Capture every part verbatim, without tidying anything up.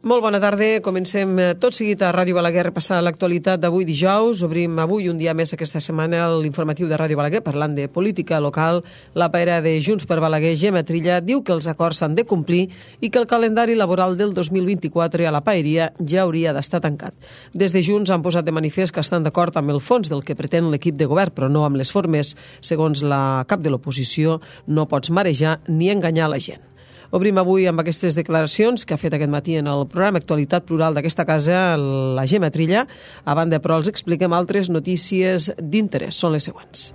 Molt bona tarda. Comencem tot seguit a Ràdio Balaguer a repassar l'actualitat d'avui dijous. Obrim avui un dia més aquesta setmana l'informatiu de Ràdio Balaguer parlant de política local. La paera de Junts per Balaguer, Gemma Trilla, diu que els acords s'han de complir i que el calendari laboral del dos mil vint-i-quatre a la paeria ja hauria d'estar tancat. Des de Junts han posat de manifest que estan d'acord amb el fons del que pretén l'equip de govern, però no amb les formes. Segons la cap de l'oposició, no pots marejar ni enganyar la gent. Obrim avui amb aquestes declaracions que ha fet aquest matí en el programa Actualitat Plural d'aquesta casa la Gemma Trilla. A banda, però, els expliquem altres notícies d'interès. Són les següents.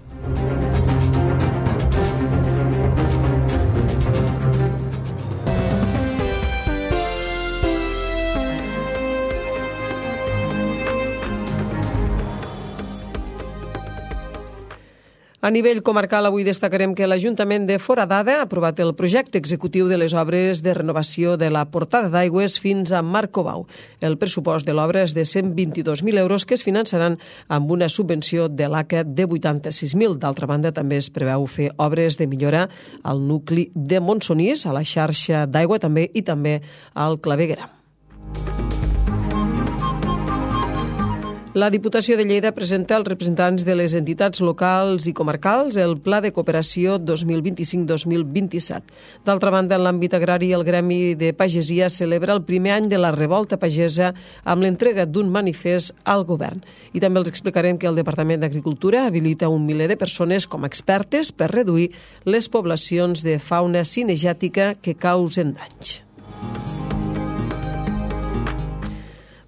A nivell comarcal, avui destacarem que l'Ajuntament de Foradada ha aprovat el projecte executiu de les obres de renovació de la portada d'aigües fins a Marcobau. El pressupost de l'obra és de cent vint-i-dos mil euros que es finançaran amb una subvenció de l'A C A de vuitanta-sis mil. D'altra banda, també es preveu fer obres de millora al nucli de Montsonís, a la xarxa d'aigua també i també al Claveguera. La Diputació de Lleida presenta als representants de les entitats locals i comarcals el Pla de Cooperació dos mil vint-i-cinc dos mil vint-i-set. D'altra banda, en l'àmbit agrari, el Gremi de Pagesia celebra el primer any de la revolta pagesa amb l'entrega d'un manifest al govern. I també els explicarem que el Departament d'Agricultura habilita un miler de persones com a expertes per reduir les poblacions de fauna cinegètica que causen danys.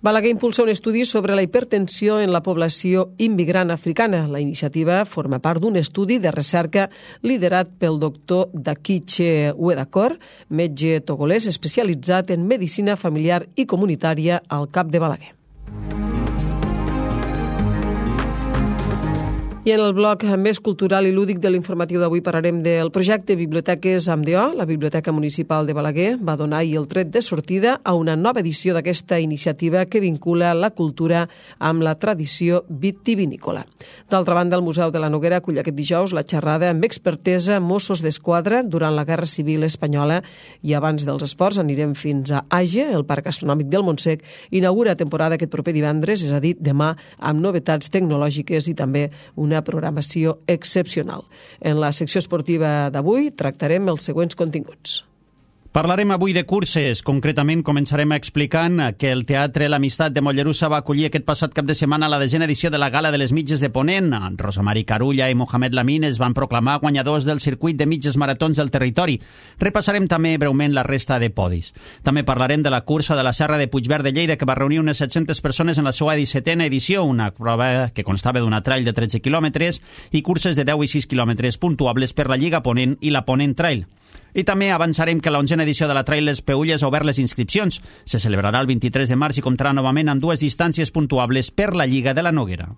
Balaguer impulsa un estudi sobre la hipertensió en la població immigrant africana. La iniciativa forma part d'un estudi de recerca liderat pel doctor Dakiche Wedakor, metge togolès especialitzat en medicina familiar i comunitària al CAP de Balaguer. I en el bloc més cultural i lúdic de l'informatiu d'avui parlarem del projecte Biblioteques amb D O. La Biblioteca Municipal de Balaguer va donar ahir el tret de sortida a una nova edició d'aquesta iniciativa que vincula la cultura amb la tradició vitivinícola. D'altra banda, el Museu de la Noguera acull aquest dijous la xerrada amb expertesa Mossos d'Esquadra durant la Guerra Civil Espanyola. I abans dels esports anirem fins a Age, el Parc Gastronòmic del Montsec. Inaugura temporada aquest proper divendres, és a dir, demà, amb novetats tecnològiques i també una programació excepcional. En la secció esportiva d'avui tractarem els següents continguts. Parlarem avui de curses. Concretament, començarem explicant que el Teatre L'Amistat de Mollerussa va acollir aquest passat cap de setmana la desena edició de la Gala de les Mitges de Ponent. Rosa Mari Carulla i Mohamed Lamin es van proclamar guanyadors del circuit de mitges maratons del territori. Repassarem també breument la resta de podis. També parlarem de la cursa de la Serra de Puigverd de Lleida, que va reunir unes set-centes persones en la seva dissetena edició, una prova que constava d'una trail de tretze quilòmetres i curses de deu i sis quilòmetres puntuables per la Lliga Ponent i la Ponent Trail. I també avançarem que l'onzena edició de la Trail Les Peülles ha obert les inscripcions. Se celebrarà el vint-i-tres de març i comptarà novament amb dues distàncies puntuables per la Lliga de la Noguera.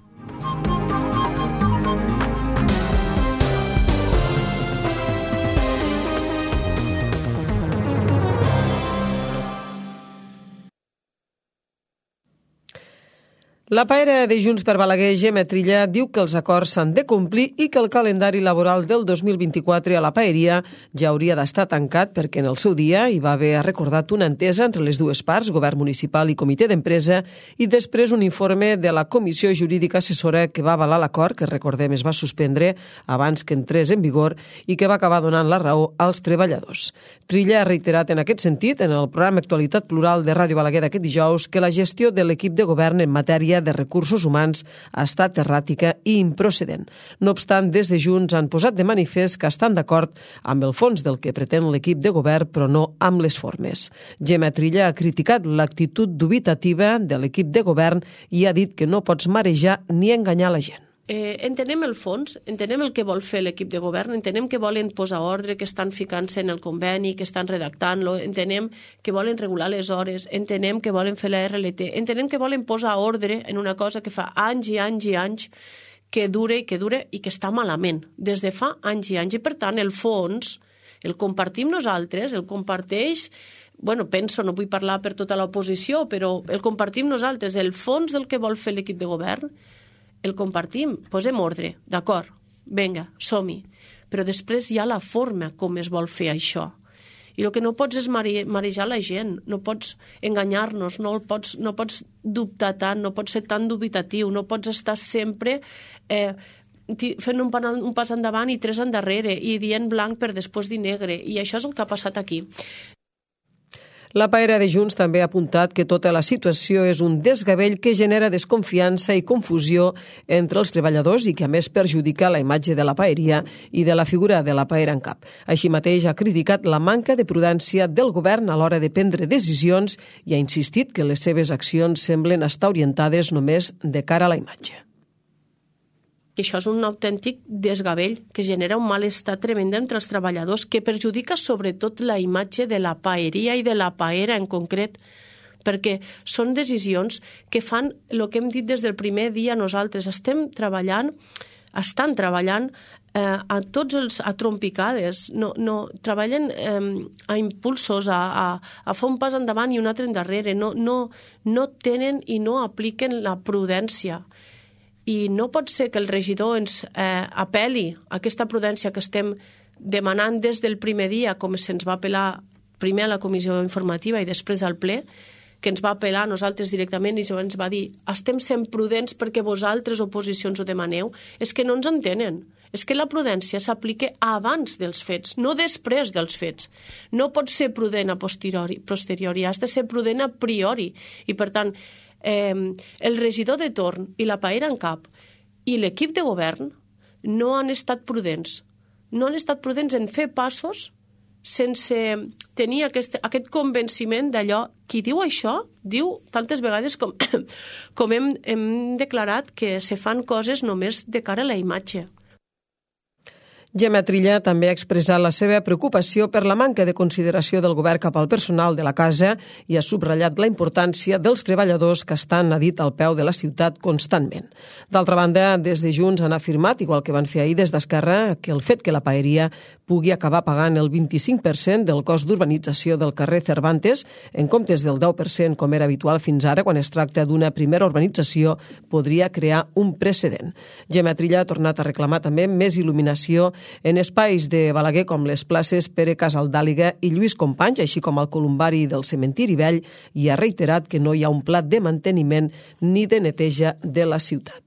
La paera de Junts per Balaguer, Gemma Trilla, diu que els acords s'han de complir i que el calendari laboral del dos mil vint-i-quatre a la paeria ja hauria d'estar tancat perquè en el seu dia hi va haver recordat una entesa entre les dues parts, govern municipal i comitè d'empresa, i després un informe de la Comissió Jurídica Assessora que va avalar l'acord, que recordem es va suspendre abans que entrés en vigor i que va acabar donant la raó als treballadors. Trilla ha reiterat en aquest sentit, en el programa Actualitat Plural de Ràdio Balaguer d'aquest dijous, que la gestió de l'equip de govern en matèria de recursos humans ha estat erràtica i improcedent. No obstant, des de Junts han posat de manifest que estan d'acord amb el fons del que pretén l'equip de govern, però no amb les formes. Gemma Trilla ha criticat l'actitud dubitativa de l'equip de govern i ha dit que no pots marejar ni enganyar la gent. Eh, entenem el fons, entenem el que vol fer l'equip de govern, entenem que volen posar ordre, que estan ficant-se en el conveni, que estan redactant-lo, entenem que volen regular les hores, entenem que volen fer la R L T, entenem que volen posar ordre en una cosa que fa anys i anys i anys que dure i que dure i que està malament, des de fa anys i anys. I per tant, el fons el compartim nosaltres, el comparteix, bueno, penso, no vull parlar per tota l'oposició, però el compartim nosaltres, el fons del que vol fer l'equip de govern, el compartim, posem ordre, d'acord, vinga, som-hi. Però després hi ha la forma com es vol fer això. I el que no pots és marejar la gent, no pots enganyar-nos, no, pots, no pots dubtar tant, no pots ser tan dubitatiu, no pots estar sempre eh, fent un, un pas endavant i tres endarrere i dient blanc per després dir negre. I això és el que ha passat aquí. La paera de Junts també ha apuntat que tota la situació és un desgavell que genera desconfiança i confusió entre els treballadors i que a més perjudica la imatge de la paeria i de la figura de la paera en cap. Així mateix ha criticat la manca de prudència del govern a l'hora de prendre decisions i ha insistit que les seves accions semblen estar orientades només de cara a la imatge. Que això és un autèntic desgavell que genera un malestar tremend entre els treballadors que perjudica sobretot la imatge de la paeria i de la paera en concret, perquè són decisions que fan el que hem dit des del primer dia nosaltres. Estem treballant, estan treballant eh, a tots els a trompicades, no, no, treballen eh, a impulsos, a, a, a fer un pas endavant i un altre endarrere, no, no, no tenen i no apliquen la prudència. I no pot ser que el regidor ens eh, apel·li a aquesta prudència que estem demanant des del primer dia, com se'ns va apel·lar primer a la comissió informativa i després al ple, que ens va apel·lar a nosaltres directament i ens va dir estem sent prudents perquè vosaltres, oposicions, ho demaneu. És que no ens entenen. És que la prudència s'aplica abans dels fets, no després dels fets. No pot ser prudent a posteriori, posteriori, has de ser prudent a priori. I, per tant, Eh, el regidor de torn i la paera en cap i l'equip de govern no han estat prudents. No han estat prudents en fer passos sense tenir aquest, aquest convenciment d'allò. Qui diu això, diu tantes vegades com, com hem, hem declarat que se fan coses només de cara a la imatge. Gemma Trilla també ha expressat la seva preocupació per la manca de consideració del govern cap al personal de la casa i ha subratllat la importància dels treballadors que estan, ha dit, al peu de la ciutat constantment. D'altra banda, des de Junts han afirmat, igual que van fer ahir des d'Esquerra, que el fet que la paeria pugui acabar pagant el vint-i-cinc per cent del cost d'urbanització del carrer Cervantes, en comptes del deu per cent com era habitual fins ara quan es tracta d'una primera urbanització, podria crear un precedent. Gemma Trilla ha tornat a reclamar també més il·luminació en espais de Balaguer com les places Pere Casaldàliga i Lluís Companys, així com el columbari del Cementiri Vell, i ha reiterat que no hi ha un pla de manteniment ni de neteja de la ciutat.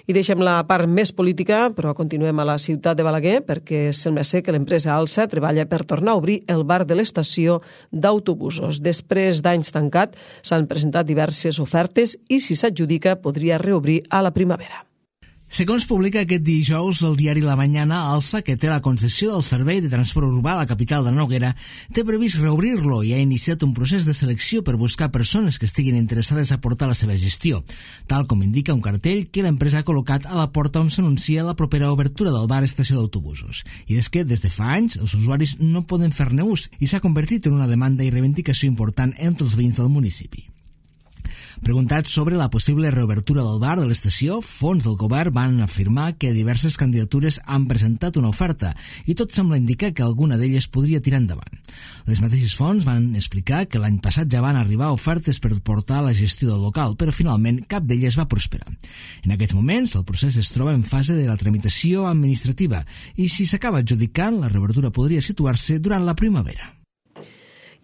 I deixem la part més política, però continuem a la ciutat de Balaguer perquè sembla ser que l'empresa Alsa treballa per tornar a obrir el bar de l'estació d'autobusos. Després d'anys tancat, s'han presentat diverses ofertes i si s'adjudica podria reobrir a la primavera. Segons publica aquest dijous el diari La Mañana, Alsa, que té la concessió del servei de transport urbà a la capital de la Noguera, té previst reobrir-lo i ha iniciat un procés de selecció per buscar persones que estiguin interessades a portar la seva gestió, tal com indica un cartell que l'empresa ha col·locat a la porta on s'anuncia la propera obertura del bar estació d'autobusos. I és que, des de fa anys, els usuaris no poden fer-ne ús i s'ha convertit en una demanda i reivindicació important entre els veïns del municipi. Preguntat sobre la possible reobertura del bar de l'estació, fons del govern van afirmar que diverses candidatures han presentat una oferta i tot sembla indicar que alguna d'elles podria tirar endavant. Les mateixes fonts van explicar que l'any passat ja van arribar ofertes per portar la gestió del local, però finalment cap d'elles va prosperar. En aquests moments, el procés es troba en fase de la tramitació administrativa i si s'acaba adjudicant, la reobertura podria situar-se durant la primavera.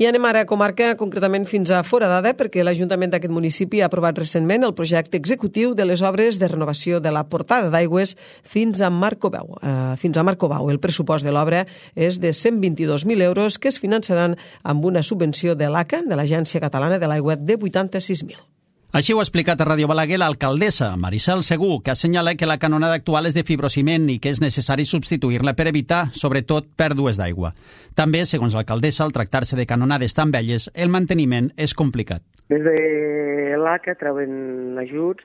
I anem ara a comarca, concretament fins a Foradada, perquè l'Ajuntament d'aquest municipi ha aprovat recentment el projecte executiu de les obres de renovació de la portada d'aigües fins a Marcobau. Uh, fins a Marcobau. El pressupost de l'obra és de cent vint-i-dos mil euros que es finançaran amb una subvenció de l'A C A, de l'Agència Catalana de l'Aigua, de vuitanta-sis mil. Així ho ha explicat a Ràdio Balaguer l'alcaldessa, Maricel Segur, que assenyala que la canonada actual és de fibrociment i que és necessari substituir-la per evitar, sobretot, pèrdues d'aigua. També, segons l'alcaldessa, al tractar-se de canonades tan velles, el manteniment és complicat. Des de l'A C A treuen ajuts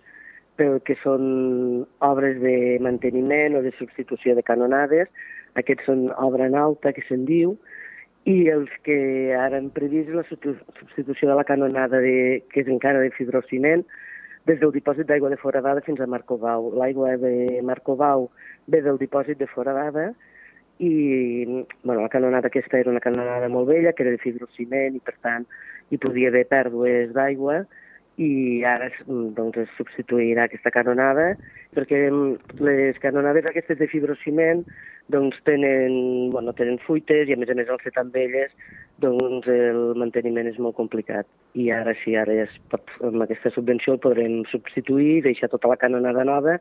pel que són obres de manteniment o de substitució de canonades. Aquests són obra en alta, que se'n diu, i els que ara han previst la substitució de la canonada, de, que és encara de fibrociment, des del dipòsit d'aigua de Foradada fins a Marcobau. L'aigua de Marcobau ve del dipòsit de Foradada i bueno, la canonada aquesta era una canonada molt vella, que era de fibrociment i per tant hi podia haver pèrdues d'aigua i ara doncs, es substituirà aquesta canonada, perquè les canonades aquestes de fibrociment doncs, tenen, bueno, tenen fuites i a més a més al ser tan velles doncs, el manteniment és molt complicat. I ara sí, ara ja es pot, amb aquesta subvenció el podrem substituir, deixar tota la canonada nova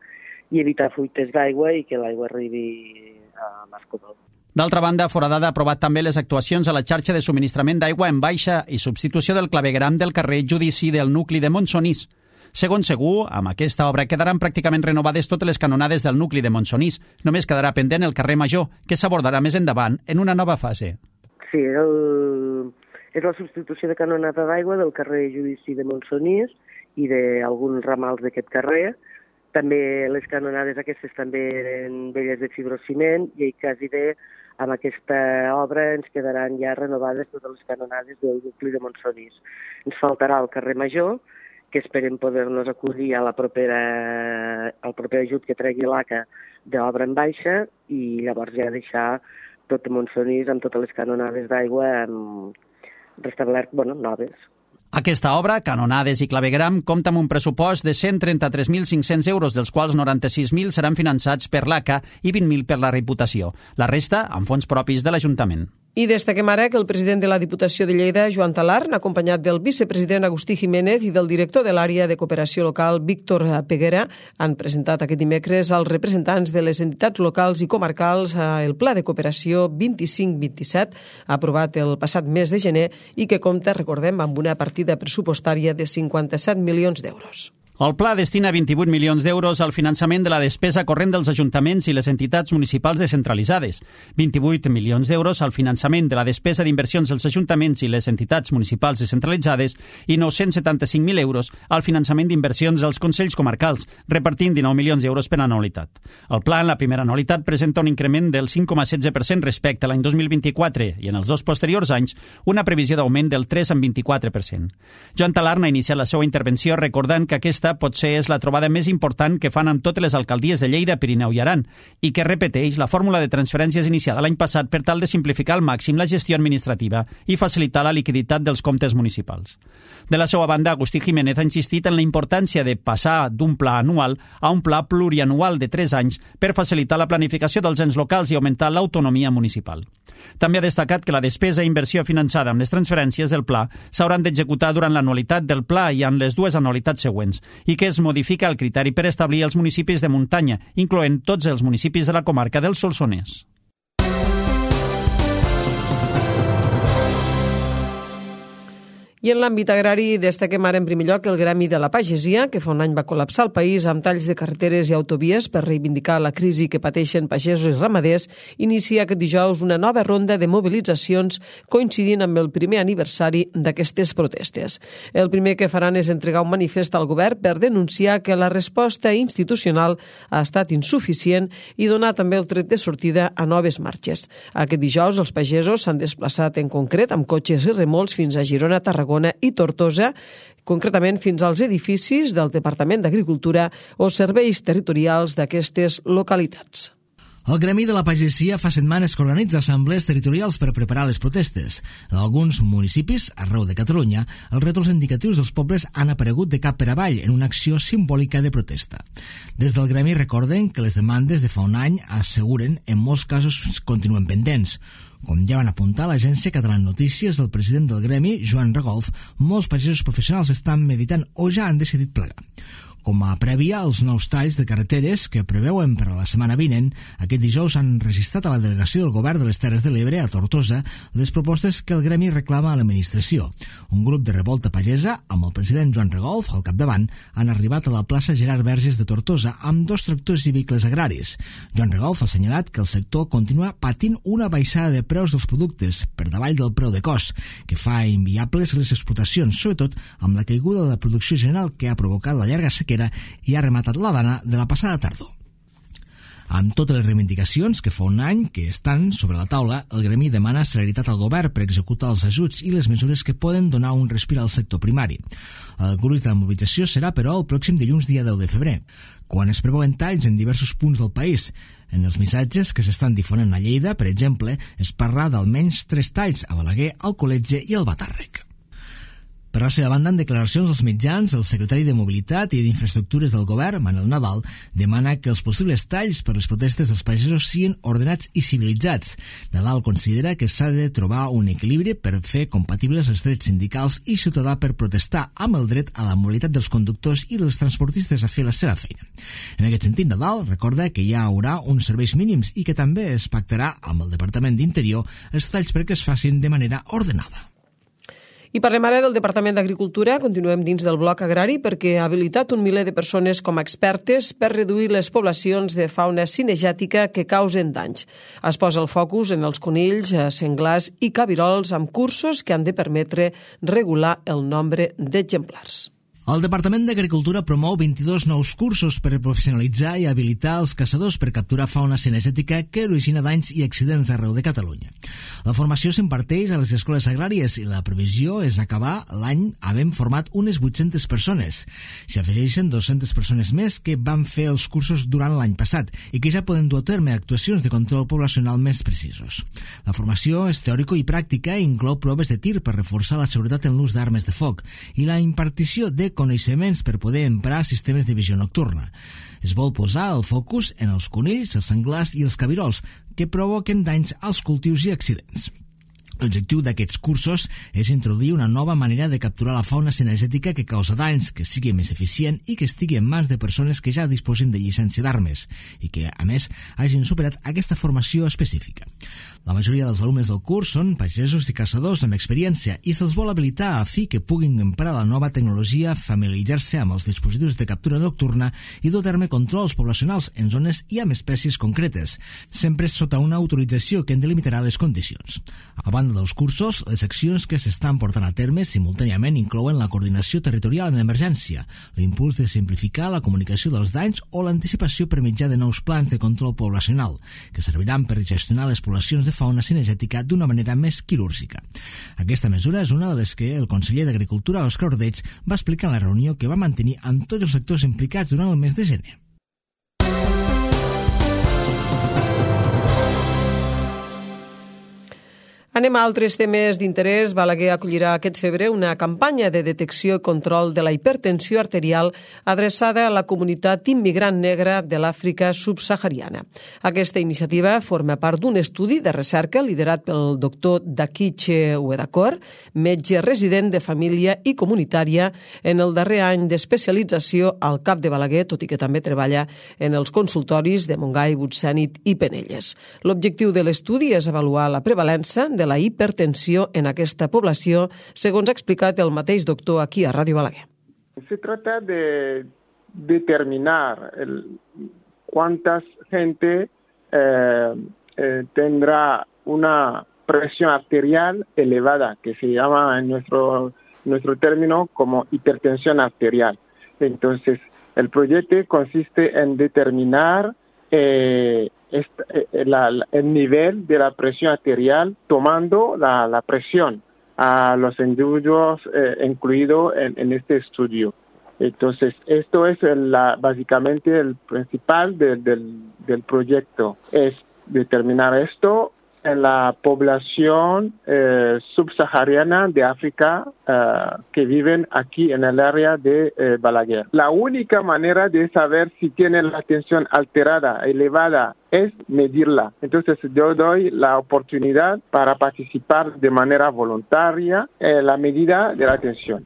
i evitar fuites d'aigua i que l'aigua arribi a l'Escobal. D'altra banda, Foradada ha aprovat també les actuacions a la xarxa de subministrament d'aigua en baixa i substitució del clavegueram del carrer Judici del nucli de Montsonís. Segons Segur, amb aquesta obra quedaran pràcticament renovades totes les canonades del nucli de Montsonís. Només quedarà pendent el carrer Major, que s'abordarà més endavant en una nova fase. Sí, el... és la substitució de canonada d'aigua del carrer Judici de Montsonís i d'alguns ramals d'aquest carrer. També les canonades aquestes també eren velles de fibrociment i quasi bé amb aquesta obra ens quedaran ja renovades totes les canonades del nucli de Montsonís. Ens faltarà el carrer Major, que esperem poder-nos acollir a la propera, al proper ajut que tregui l'A C A d'obra en baixa i llavors ja deixar tot Montsonís amb totes les canonades d'aigua restablert, bueno, noves. Aquesta obra, canonades i clavegueram, compta amb un pressupost de cent trenta-tres mil cinc-cents euros, dels quals noranta-sis mil seran finançats per l'A C A i vint mil per la Diputació. La resta, amb fons propis de l'Ajuntament. I destaquem ara que el president de la Diputació de Lleida, Joan Talarn, acompanyat del vicepresident Agustí Jiménez i del director de l'àrea de cooperació local, Víctor Peguera, han presentat aquest dimecres als representants de les entitats locals i comarcals el Pla de Cooperació vint-i-cinc vint-i-set, aprovat el passat mes de gener i que compta, recordem, amb una partida pressupostària de cinquanta-set milions d'euros. El pla destina vint-i-vuit milions d'euros al finançament de la despesa corrent dels ajuntaments i les entitats municipals descentralitzades, vint-i-vuit milions d'euros al finançament de la despesa d'inversions dels ajuntaments i les entitats municipals descentralitzades i nou-cents setanta-cinc mil euros al finançament d'inversions dels consells comarcals, repartint dinou milions d'euros per anualitat. El pla en la primera anualitat presenta un increment del cinc coma setze per cent respecte a l'any dos mil vint-i-quatre i en els dos posteriors anys una previsió d'augment del tres coma vint-i-quatre per cent. Joan Talarn ha iniciat la seva intervenció recordant que aquesta potser és la trobada més important que fan amb totes les alcaldies de Lleida, Pirineu i Aran i que repeteix la fórmula de transferències iniciada l'any passat per tal de simplificar al màxim la gestió administrativa i facilitar la liquiditat dels comptes municipals. De la seva banda, Agustí Jiménez ha insistit en la importància de passar d'un pla anual a un pla plurianual de tres anys per facilitar la planificació dels ens locals i augmentar l'autonomia municipal. També ha destacat que la despesa i inversió finançada amb les transferències del pla s'hauran d'executar durant l'anualitat del pla i en les dues anualitats següents i que es modifica el criteri per establir els municipis de muntanya, incloent tots els municipis de la comarca del Solsonès. I en l'àmbit agrari destaquem ara en primer lloc el Gremi de la Pagesia, que fa un any va col·lapsar el país amb talls de carreteres i autovies per reivindicar la crisi que pateixen pagesos i ramaders, inicia aquest dijous una nova ronda de mobilitzacions coincidint amb el primer aniversari d'aquestes protestes. El primer que faran és entregar un manifest al govern per denunciar que la resposta institucional ha estat insuficient i donar també el tret de sortida a noves marxes. Aquest dijous els pagesos s'han desplaçat en concret amb cotxes i remolcs fins a Girona, Tarragona i Tortosa, concretament fins als edificis del Departament d'Agricultura o serveis territorials d'aquestes localitats. El Gremi de la Pagesia fa setmanes que organitza assemblees territorials per preparar les protestes. En alguns municipis, arreu de Catalunya, els rètols indicatius dels pobles han aparegut de cap per avall en una acció simbòlica de protesta. Des del Gremi recorden que les demandes de fa un any asseguren en molts casos continuen pendents. Com ja van apuntar l'agència Catalana Notícies, el president del Gremi, Joan Regolf, molts pagesos professionals estan meditant o ja han decidit plegar. Com a prèvia, els nous talls de carreteres que preveuen per a la setmana vinent, aquest dijous han registrat a la delegació del Govern de les Terres de l'Ebre, a Tortosa, les propostes que el Gremi reclama a l'administració. Un grup de revolta pagesa, amb el president Joan Regolf al capdavant, han arribat a la plaça Gerard Verges de Tortosa amb dos tractors i vehicles agraris. Joan Regolf ha assenyalat que el sector continua patint una baixada de preus dels productes per davall del preu de cost, que fa inviables les explotacions, sobretot amb la caiguda de la producció general que ha provocat la llarga sequera i ha rematat la dana de la passada tardor. Amb totes les reivindicacions que fa un any que estan sobre la taula, el Gremi demana celeritat al govern per executar els ajuts i les mesures que poden donar un respir al sector primari. El gruix de la mobilització serà, però, el pròxim dilluns dia deu de febrer, quan es preveuen talls en diversos punts del país. En els missatges que s'estan difonent a Lleida, per exemple, es parla d'almenys tres talls a Balaguer, al Col·letge i al Batàrrec. Per la seva banda, en declaracions als mitjans, el secretari de Mobilitat i d'Infraestructures del govern, Manel Nadal, demana que els possibles talls per les protestes dels pagesos siguin ordenats i civilitzats. Nadal considera que s'ha de trobar un equilibri per fer compatibles els drets sindicals i ciutadà per protestar amb el dret a la mobilitat dels conductors i dels transportistes a fer la seva feina. En aquest sentit, Nadal recorda que hi haurà uns serveis mínims i que també es pactarà amb el Departament d'Interior els talls perquè es facin de manera ordenada. I parlem ara del Departament d'Agricultura. Continuem dins del bloc agrari perquè ha habilitat un miler de persones com a expertes per reduir les poblacions de fauna cinegètica que causen danys. Es posa el focus en els conills, senglars i cabirols amb cursos que han de permetre regular el nombre d'exemplars. El Departament d'Agricultura promou vint-i-dos nous cursos per professionalitzar i habilitar els caçadors per capturar fauna cinegètica que origina danys i accidents arreu de Catalunya. La formació s'imparteix a les escoles agràries i la previsió és acabar l'any havent format unes vuit-centes persones. S'hi afegeixen dues-centes persones més que van fer els cursos durant l'any passat i que ja poden dur a terme actuacions de control poblacional més precisos. La formació és teòrica i pràctica i inclou proves de tir per reforçar la seguretat en l'ús d'armes de foc i la impartició de coneixements per poder emprar sistemes de visió nocturna. Es vol posar el focus en els conills, els senglars i els cabirols, que provoquen danys als cultius i accidents. L'objectiu d'aquests cursos és introduir una nova manera de capturar la fauna cinegètica que causa danys, que sigui més eficient i que estigui en mans de persones que ja disposin de llicència d'armes i que, a més, hagin superat aquesta formació específica. La majoria dels alumnes del curs són pagesos i caçadors amb experiència i se'ls vol habilitar a fi que puguin emprar la nova tecnologia, familiaritzar-se amb els dispositius de captura nocturna i dur a terme controls poblacionals en zones i amb espècies concretes, sempre sota una autorització que en delimitarà les condicions. A banda dels cursos, les accions que s'estan portant a terme simultàniament inclouen la coordinació territorial en emergència, l'impuls de simplificar la comunicació dels danys o l'anticipació per mitjà de nous plans de control poblacional, que serviran per gestionar les poblacions de fauna cinegètica d'una manera més quirúrgica. Aquesta mesura és una de les que el conseller d'Agricultura, Òscar Ordeig, va explicar en la reunió que va mantenir amb tots els sectors implicats durant el mes de gener. Anem a altres temes d'interès. Balaguer acollirà aquest febrer una campanya de detecció i control de la hipertensió arterial adreçada a la comunitat immigrant negra de l'Àfrica subsahariana. Aquesta iniciativa forma part d'un estudi de recerca liderat pel doctor Dakiche Uedakor, metge resident de família i comunitària en el darrer any d'especialització al CAP de Balaguer, tot i que també treballa en els consultoris de Montgai, Butxènit i Penelles. L'objectiu de l'estudi és avaluar la prevalença de la hipertensió en aquesta població, segons ha explicat el mateix doctor aquí a Ràdio Balaguer. Se trata de determinar el, cuántas gente eh, eh, tendrá una presión arterial elevada, que se llama en nuestro, nuestro término como hipertensión arterial. Entonces, el proyecto consiste en determinar eh, esta, eh, la, la, el nivel de la presión arterial tomando la, la presión a los individuos eh, incluidos en, en este estudio. Entonces, esto es el, la, básicamente el principal de, del, del proyecto, es determinar esto en la población eh, subsahariana de África eh, que viven aquí en el área de eh, Balaguer. La única manera de saber si tienen la tensión alterada, elevada, es medirla. Entonces yo doy la oportunidad para participar de manera voluntaria en la medida de la tensión.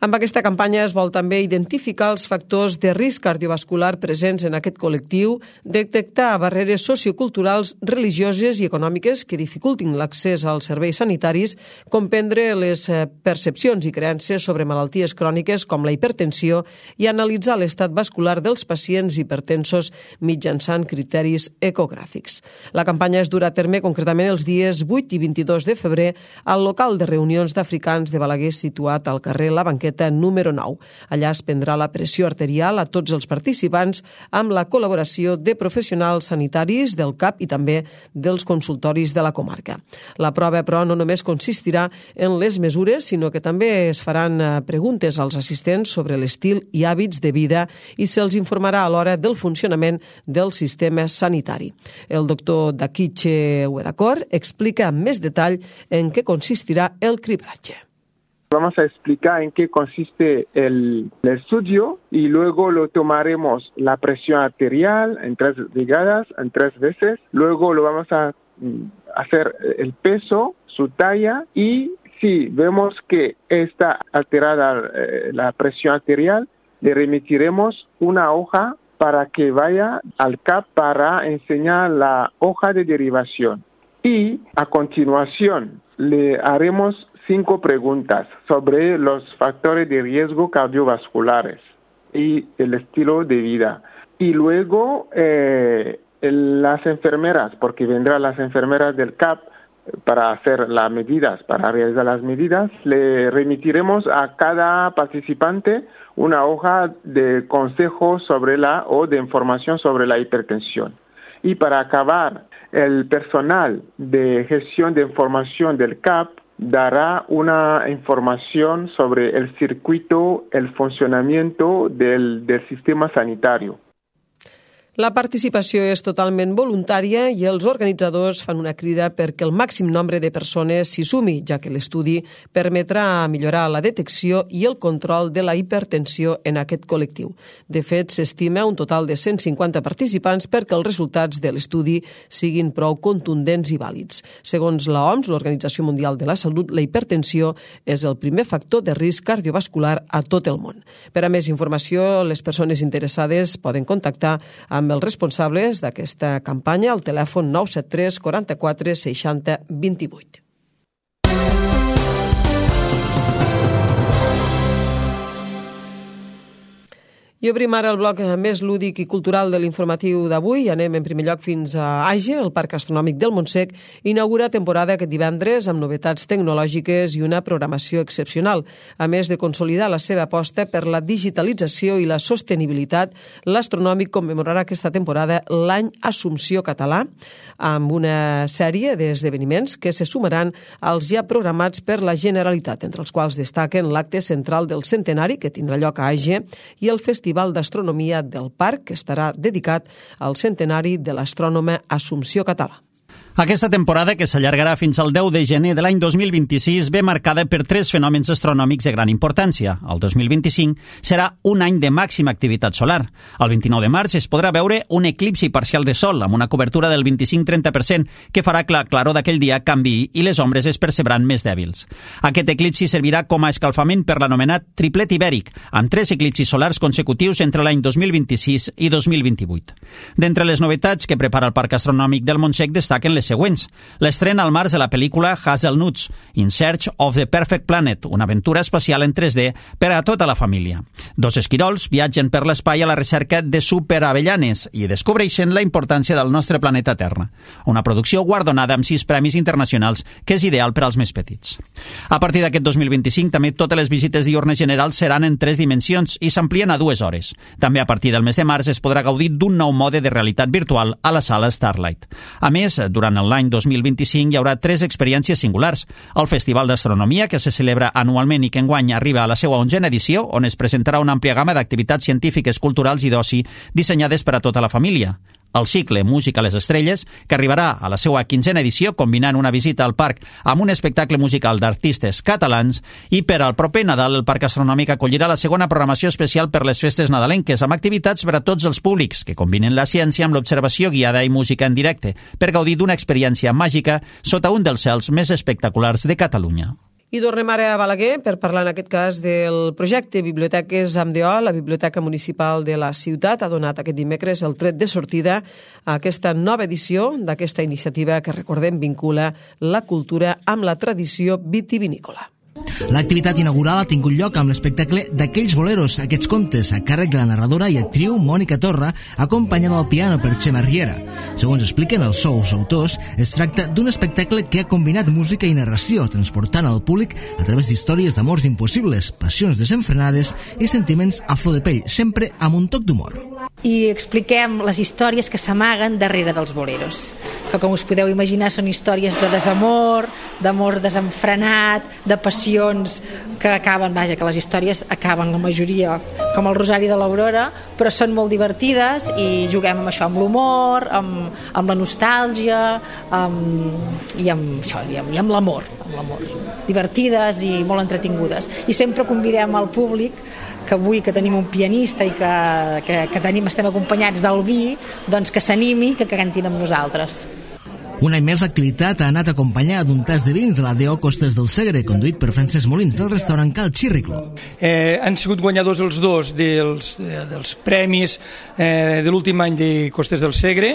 Amb aquesta campanya es vol també identificar els factors de risc cardiovascular presents en aquest col·lectiu, detectar barreres socioculturals, religioses i econòmiques que dificultin l'accés als serveis sanitaris, comprendre les percepcions i creences sobre malalties cròniques com la hipertensió i analitzar l'estat vascular dels pacients hipertensos mitjançant criteris ecogràfics. La campanya es durà a terme concretament els dies vuit i vint-i-dos de febrer al local de reunions d'africans de Balaguer situat al carrer La Banqueta número nou. Allà es prendrà la pressió arterial a tots els participants amb la col·laboració de professionals sanitaris del CAP i també dels consultoris de la comarca. La prova, però, no només consistirà en les mesures, sinó que també es faran preguntes als assistents sobre l'estil i hàbits de vida i se'ls informarà a l'hora del funcionament del sistema sanitari. El doctor Dakiche Uedakor explica amb més detall en què consistirà el cribratge. Vamos a explicar en qué consiste el, el estudio y luego lo tomaremos la presión arterial en tres brigadas, en tres veces. Luego lo vamos a hacer el peso, su talla, y si vemos que está alterada eh, la presión arterial, le remitiremos una hoja para que vaya al C A P para enseñar la hoja de derivación. Y a continuación le haremos cinco preguntas sobre los factores de riesgo cardiovasculares y el estilo de vida. Y luego eh, las enfermeras, porque vendrán las enfermeras del C A P para hacer las medidas, para realizar las medidas, le remitiremos a cada participante una hoja de consejo sobre la o de información sobre la hipertensión. Y para acabar, el personal de gestión de información del C A P dará una información sobre el circuito, el funcionamiento del, del sistema sanitario. La participació és totalment voluntària i els organitzadors fan una crida perquè el màxim nombre de persones s'hi sumi, ja que l'estudi permetrà millorar la detecció i el control de la hipertensió en aquest col·lectiu. De fet, s'estima un total de cent cinquanta participants perquè els resultats de l'estudi siguin prou contundents i vàlids. Segons l'O M S, l'Organització Mundial de la Salut, la hipertensió és el primer factor de risc cardiovascular a tot el món. Per a més informació, les persones interessades poden contactar amb amb els responsables d'aquesta campanya al telèfon nou set tres quaranta-quatre seixanta vint-i-vuit. I obrim ara el bloc més lúdic i cultural de l'informatiu d'avui. Anem en primer lloc fins a Age, el Parc Astronòmic del Montsec inaugura temporada aquest divendres amb novetats tecnològiques i una programació excepcional. A més de consolidar la seva aposta per la digitalització i la sostenibilitat, l'Astronòmic commemorarà aquesta temporada l'any Assumpció Català amb una sèrie d'esdeveniments que se sumaran als ja programats per la Generalitat, entre els quals destaquen l'acte central del centenari que tindrà lloc a Age i el Festival d'Astronomia del Parc, que estarà dedicat al centenari de l'astrònoma Assumpció Català. Aquesta temporada, que s'allargarà fins al deu de gener de l'any dos mil vint-i-sis, ve marcada per tres fenòmens astronòmics de gran importància. El dos mil vint-i-cinc serà un any de màxima activitat solar. El vint-i-nou de març es podrà veure un eclipsi parcial de sol amb una cobertura del vint-i-cinc a trenta per cent que farà que la claror d'aquell dia canviï i les ombres es percebran més dèbils. Aquest eclipsi servirà com a escalfament per l'anomenat triplet ibèric, amb tres eclipsis solars consecutius entre l'any dos mil vint-i-sis i dos mil vint-i-vuit. D'entre les novetats que prepara el Parc Astronòmic del Montsec destaquen les següents. L'estrena al març de la pel·lícula Hazelnuts, In Search of the Perfect Planet, una aventura espacial en tres D per a tota la família. Dos esquirols viatgen per l'espai a la recerca de superavellanes i descobreixen la importància del nostre planeta Terra. Una producció guardonada amb sis premis internacionals que és ideal per als més petits. A partir d'aquest dos mil vint-i-cinc, també totes les visites diürnes generals seran en tres dimensions i s'amplien a dues hores. També a partir del mes de març es podrà gaudir d'un nou mode de realitat virtual a la sala Starlight. A més, durant l'any dos mil vint-i-cinc hi haurà tres experiències singulars. El Festival d'Astronomia, que se celebra anualment i que enguany arriba a la seva onzena edició, on es presentarà una àmplia gamma d'activitats científiques, culturals i d'oci dissenyades per a tota la família. El cicle Música a les Estrelles, que arribarà a la seva quinzena edició combinant una visita al parc amb un espectacle musical d'artistes catalans, i per al proper Nadal el Parc Astronòmic acollirà la segona programació especial per les festes nadalenques amb activitats per a tots els públics que combinen la ciència amb l'observació guiada i música en directe per gaudir d'una experiència màgica sota un dels cels més espectaculars de Catalunya. I tornem ara a Balaguer per parlar en aquest cas del projecte Biblioteques amb D O. La Biblioteca Municipal de la ciutat ha donat aquest dimecres el tret de sortida a aquesta nova edició d'aquesta iniciativa que, recordem, vincula la cultura amb la tradició vitivinícola. L'activitat inaugural ha tingut lloc amb l'espectacle d'Aquells boleros, aquests contes, a càrrec de la narradora i actriu Mònica Torra, acompanyada al piano per Xema Riera. Segons expliquen els seus autors, es tracta d'un espectacle que ha combinat música i narració, transportant al públic a través d'històries d'amors impossibles, passions desenfrenades i sentiments a flor de pell, sempre amb un toc d'humor. I expliquem les històries que s'amaguen darrere dels boleros, que com us podeu imaginar són històries de desamor, d'amor desenfrenat, de passió, situacions que acaben, vaja, que les històries acaben la majoria com el Rosari de l'Aurora, però són molt divertides i juguem amb això, amb l'humor, amb, amb la nostàlgia, amb, i amb això, i amb, i amb l'amor, amb l'amor. Divertides i molt entretingudes. I sempre convidem al públic que avui que tenim un pianista i que, que, que tenim, estem acompanyats del vi, doncs que s'animi, que cantin amb nosaltres. Un any més l'activitat ha anat acompanyada d'un tas de vins de la D O Costes del Segre, conduït per Francesc Molins del restaurant Cal Xirriclo. Eh, han sigut guanyadors els dos dels, dels premis eh, de l'últim any de Costes del Segre.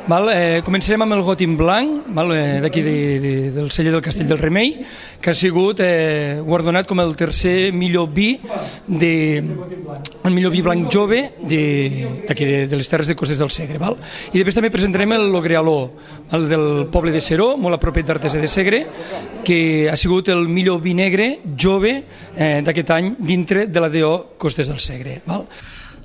Val? Eh, començarem amb el Gotin Blanc, val? Eh, d'aquí de, de, del celler del Castell del Remei, que ha sigut eh, guardonat com el tercer millor vi de, el millor vi blanc jove d'aquí de, de les terres de Costes del Segre. Val? I després també presentarem el Logrealó, el del poble de Seró, molt a propet d'Artesa de Segre, que ha sigut el millor vi negre jove eh, d'aquest any dintre de la D O Costes del Segre. Val?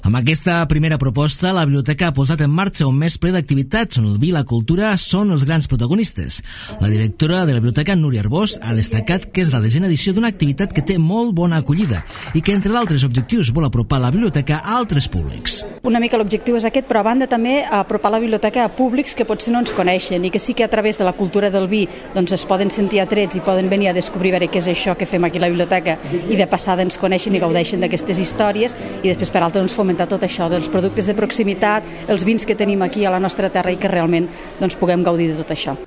Amb aquesta primera proposta, la biblioteca ha posat en marxa un mes ple d'activitats on el vi i la cultura són els grans protagonistes. La directora de la biblioteca, Núria Arbós, ha destacat que és la desena edició d'una activitat que té molt bona acollida i que, entre d'altres objectius, vol apropar la biblioteca a altres públics. Una mica l'objectiu és aquest, però a banda també apropar la biblioteca a públics que potser no ens coneixen i que sí que a través de la cultura del vi doncs es poden sentir atrets i poden venir a descobrir veure què és això que fem aquí a la biblioteca i de passada ens coneixen i gaudeixen d'aquestes històries i després per altres ens fomentar tot això dels productes de proximitat, els vins que tenim aquí a la nostra terra i que realment doncs, puguem gaudir de tot això.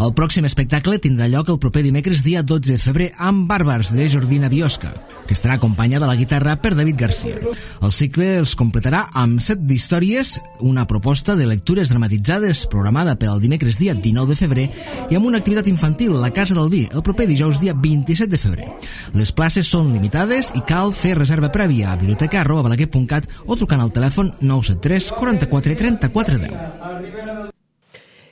El pròxim espectacle tindrà lloc el proper dimecres dia dotze de febrer amb Bàrbars de Jordina Biosca, que estarà acompanyada a la guitarra per David Garcia. El cicle els completarà amb set d'històries, una proposta de lectures dramatitzades programada per al dimecres dia dinou de febrer i amb una activitat infantil a la Casa del Vi el proper dijous dia vint-i-set de febrer. Les places són limitades i cal fer reserva prèvia a biblioteca arroba balaguer punt cat o trucant al telèfon nou set tres quaranta-quatre trenta-quatre deu.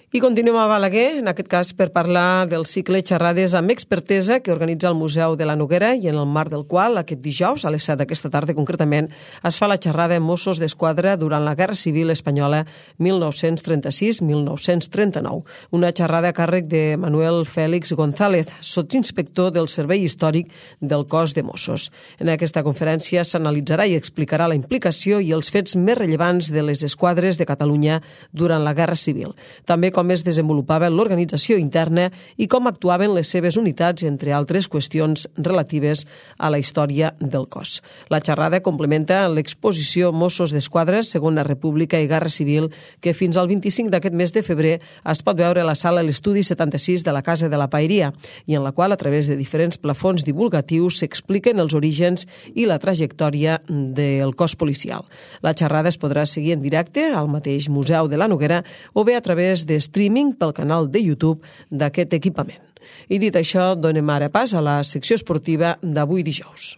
I continuem a Balaguer, en aquest cas per parlar del cicle Xerrades amb expertesa que organitza el Museu de la Noguera i en el marc del qual aquest dijous, a les set d'aquesta tarda concretament, es fa la xerrada Mossos d'Esquadra durant la Guerra Civil Espanyola mil nou-cents trenta-sis mil nou-cents trenta-nou. Una xerrada a càrrec de Manuel Félix González, sotsinspector del Servei Històric del Cos de Mossos. En aquesta conferència s'analitzarà i explicarà la implicació i els fets més rellevants de les esquadres de Catalunya durant la Guerra Civil. També com es desenvolupava l'organització interna i com actuaven les seves unitats, entre altres qüestions relatives a la història del cos. La xerrada complementa l'exposició Mossos d'Esquadra, Segona República i Guerra Civil, que fins al vint-i-cinc d'aquest mes de febrer es pot veure a la sala L'Estudi setanta-sis de la Casa de la Paeria, i en la qual, a través de diferents plafons divulgatius, s'expliquen els orígens i la trajectòria del cos policial. La xerrada es podrà seguir en directe al mateix Museu de la Noguera o bé a través de streaming pel canal de YouTube d'aquest equipament. I dit això, donem ara pas a la secció esportiva d'avui dijous.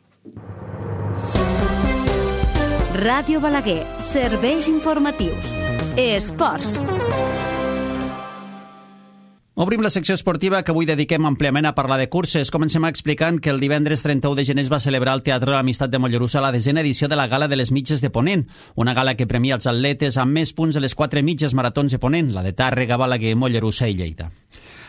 Ràdio Balaguer, serveis informatius. Esports. Obrim la secció esportiva que avui dediquem àmpliament a parlar de curses. Comencem explicant que el divendres trenta-u de gener es va celebrar al Teatre de l'Amistat de Mollerussa la desena edició de la Gala de les Mitges de Ponent, una gala que premia els atletes amb més punts de les quatre mitges maratons de Ponent, la de Tàrrega, Balaguer, Mollerussa i Lleida.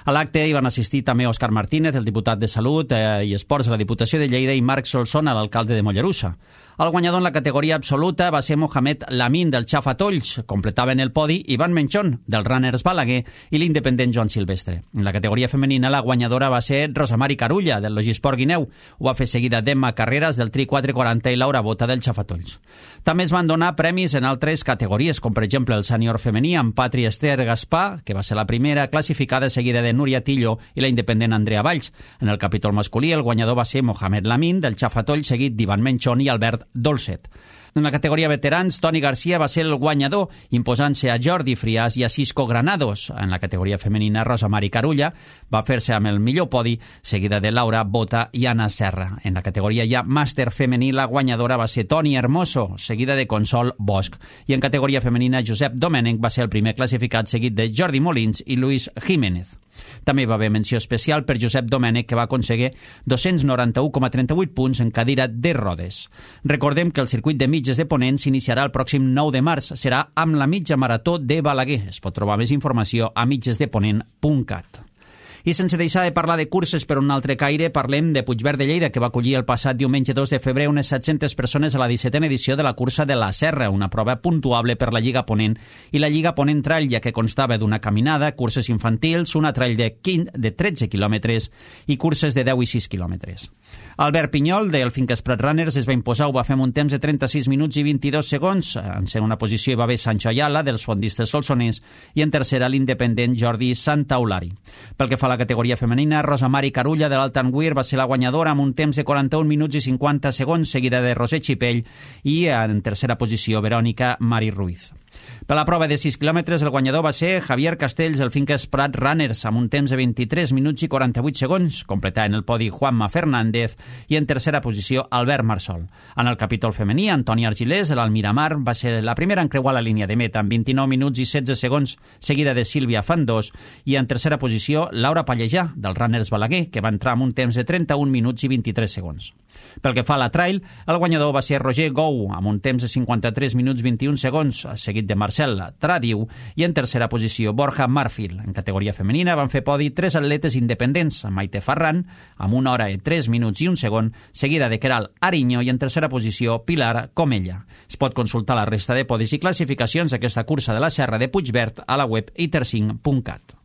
A l'acte hi van assistir també Òscar Martínez, el diputat de Salut eh, i Esports de la Diputació de Lleida, i Marc Solsona, l'alcalde de Mollerussa. El guanyador en la categoria absoluta va ser Mohamed Lamin del Xafatolls. Completaven el podi Ivan Menchón del Runners Balaguer i l'independent Joan Silvestre. En la categoria femenina la guanyadora va ser Rosamari Carulla del Logisport Guineu. Ho va fer seguida d'Emma Carreras del Tri quatre quaranta i Laura Bota del Xafatolls. També es van donar premis en altres categories, com per exemple el sènior femení amb Patri Esther Gaspar, que va ser la primera classificada, seguida de Núria Tillo i la independent Andrea Valls. En el capítol masculí el guanyador va ser Mohamed Lamin del Xafatolls, seguit d'Ivan Menchón i Albert Dolcet. En la categoria veterans, Toni Garcia va ser el guanyador, imposant-se a Jordi Friàs i a Cisco Granados. En la categoria femenina, Rosamari Carulla va fer-se amb el millor podi, seguida de Laura Bota i Anna Serra. En la categoria ja màster femení, la guanyadora va ser Toni Hermoso, seguida de Consol Bosch. I en categoria femenina, Josep Domènech va ser el primer classificat, seguit de Jordi Molins i Luis Jiménez. També va haver menció especial per Josep Domènech, que va aconseguir dos-cents noranta-u coma trenta-vuit punts en cadira de rodes. Recordem que el circuit de mitges de Ponent s'iniciarà el pròxim nou de març. Serà amb la mitja marató de Balaguer. Es pot trobar més informació a mitges de ponent punt cat. I sense deixar de parlar de curses per un altre caire, parlem de Puigverd de Lleida, que va acollir el passat diumenge dos de febrer unes set-centes persones a la dissetena edició de la cursa de la Serra, una prova puntuable per la Lliga Ponent i la Lliga Ponent Trail, ja que constava d'una caminada, curses infantils, una trail de, quinze, de tretze quilòmetres i curses de deu i sis quilòmetres. Albert Pinyol, del Finques Prat Runners, es va imposar, ho va fer amb un temps de trenta-sis minuts i vint-i-dos segons. En segona posició hi va haver Sancho Ayala, dels fondistes solsoners, i en tercera l'independent Jordi Santaolari. Pel que fa a la categoria femenina, Rosa Mari Carulla, de l'Alt Anguir, va ser la guanyadora amb un temps de quaranta-un minuts i cinquanta segons, seguida de Roser Xipell, i en tercera posició Verònica Mari Ruiz. Per la prova de sis quilòmetres, el guanyador va ser Javier Castells, del Finques Prat Runners, amb un temps de vint-i-tres minuts i quaranta-vuit segons, completant el podi Juanma Fernández, i en tercera posició Albert Marsol. En el capítol femení, Antònia Argilés, de l'Almiramar, va ser la primera en creuar la línia de meta, amb vint-i-nou minuts i setze segons, seguida de Sílvia Fandós, i en tercera posició Laura Pallejà, del Runners Balaguer, que va entrar amb un temps de trenta-un minuts i vint-i-tres segons. Pel que fa a la trail, el guanyador va ser Roger Gou, amb un temps de cinquanta-tres minuts vint-i-un segons, seguit de Marcel Tradiu, i en tercera posició Borja Marfil. En categoria femenina van fer podi tres atletes independents, Maite Ferran, amb una hora i tres minuts i un segon, seguida de Queral Ariño, i en tercera posició Pilar Comella. Es pot consultar la resta de podis i classificacions d'aquesta cursa de la Serra de Puigverd a la web itercinc punt cat.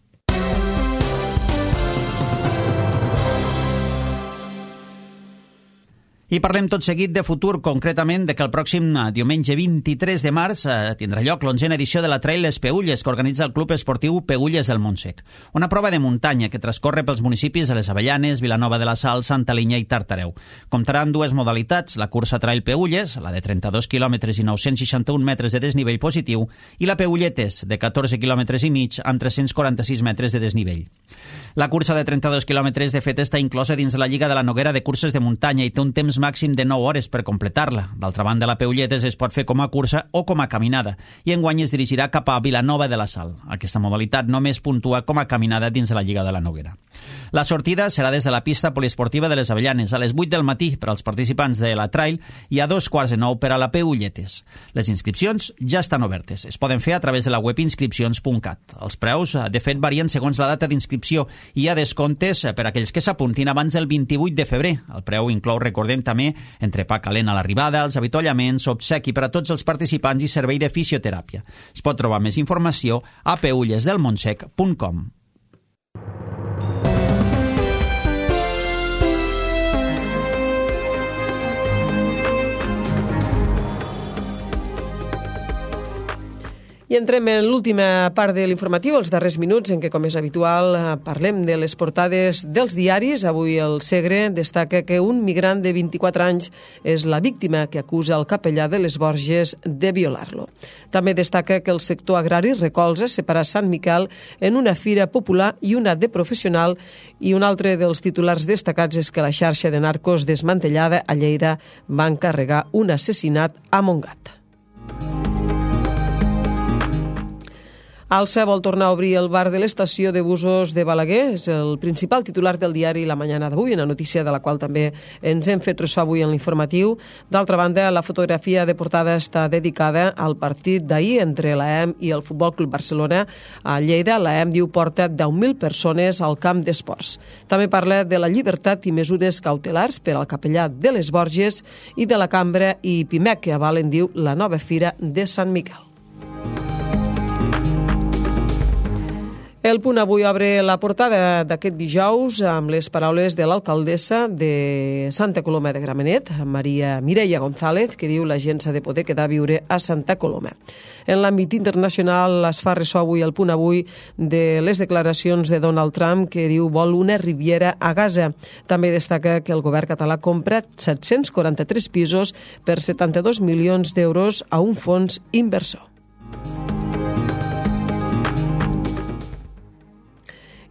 I parlem tot seguit de futur, concretament de que el pròxim diumenge vint-i-tres de març eh, tindrà lloc l'onzena edició de la Trail Les Peülles, que organitza el Club Esportiu Peülles del Montsec. Una prova de muntanya que transcorre pels municipis de les Avellanes, Vilanova de la Sal, Santa Linya i Tartareu. Comptarà amb dues modalitats, la cursa Trail Peülles, la de trenta-dos quilòmetres i nou-cents seixanta-un metres de desnivell positiu, i la Peülletes, de catorze quilòmetres i mig amb tres-cents quaranta-sis metres de desnivell. La cursa de trenta-dos quilòmetres, de fet, està inclosa dins la Lliga de la Noguera de curses de muntanya i té un temps màxim de nou hores per completar-la. D'altra banda, la Peülletes es pot fer com a cursa o com a caminada, i enguany es dirigirà cap a Vilanova de la Sal. Aquesta modalitat només puntua com a caminada dins de la Lliga de la Noguera. La sortida serà des de la pista poliesportiva de les Avellanes a les vuit del matí per als participants de la Trail i a dos quarts de nou per a la Peülletes. Les inscripcions ja estan obertes. Es poden fer a través de la web inscripcions punt cat. Els preus, de fet, varien segons la data d'inscripció i hi ha descomptes per a aquells que s'apuntin abans del vint-i-vuit de febrer. El preu inclou, recordem també, entrepà calent a l'arribada, els avituallaments, obsequi per a tots els participants i servei de fisioteràpia. Es pot trobar més informació a peulles del montsec punt com. I entrem en l'última part de l'informatiu, els darrers minuts, en què, com és habitual, parlem de les portades dels diaris. Avui el Segre destaca que un migrant de vint-i-quatre anys és la víctima que acusa el capellà de les Borges de violar-lo. També destaca que el sector agrari recolza separar Sant Miquel en una fira popular i una de professional, i un altre dels titulars destacats és que la xarxa de narcos desmantellada a Lleida va encarregar un assassinat a Montgat. Alsa vol tornar a obrir el bar de l'estació de busos de Balaguer. És el principal titular del diari La Mañana d'avui, una notícia de la qual també ens hem fet ressò avui en l'informatiu. D'altra banda, la fotografia de portada està dedicada al partit d'ahir entre l'A E M i el Futbol Club Barcelona a Lleida. L'A E M diu porta deu mil persones al camp d'esports. També parla de la llibertat i mesures cautelars per al capellà de les Borges i de la Cambra i Pimec, que avalen, diu, la nova fira de Sant Miquel. El Punt avui obre la portada d'aquest dijous amb les paraules de l'alcaldessa de Santa Coloma de Gramenet, Maria Mireia González, que diu la gent s'ha de poder quedar a viure a Santa Coloma. En l'àmbit internacional es fa ressò avui el Punt avui de les declaracions de Donald Trump, que diu vol una Riviera a Gaza. També destaca que el govern català compra set-cents quaranta-tres pisos per setanta-dos milions d'euros a un fons inversor.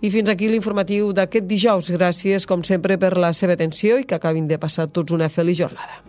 I fins aquí l'informatiu d'aquest dijous. Gràcies, com sempre, per la seva atenció i que acabin de passar tots una feliç jornada.